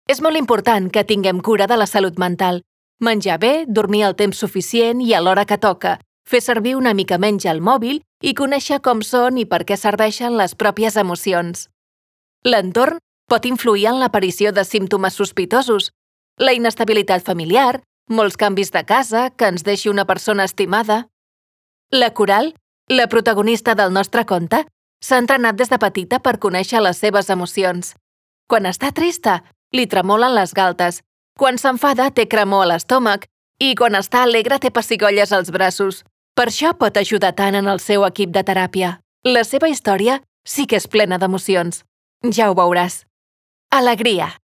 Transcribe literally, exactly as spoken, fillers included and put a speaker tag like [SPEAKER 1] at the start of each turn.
[SPEAKER 1] És molt important que tinguem cura de la salut mental. Menjar bé, dormir el temps suficient i a l'hora que toca, fer servir una mica menys el mòbil i conèixer com són i per què serveixen les pròpies emocions. L'entorn pot influir en l'aparició de símptomes sospitosos. La inestabilitat familiar, molts canvis de casa, que ens deixi una persona estimada. La Coral, la protagonista del nostre conte, s'ha entrenat des de petita per conèixer les seves emocions. Quan està trista, li tremolen les galtes. Quan s'enfada, té cremor a l'estómac. I quan està alegre, té pessigolles als braços. Per això pot ajudar tant en el seu equip de teràpia. La seva història sí que és plena d'emocions. Ja ho veuràs. Alegria.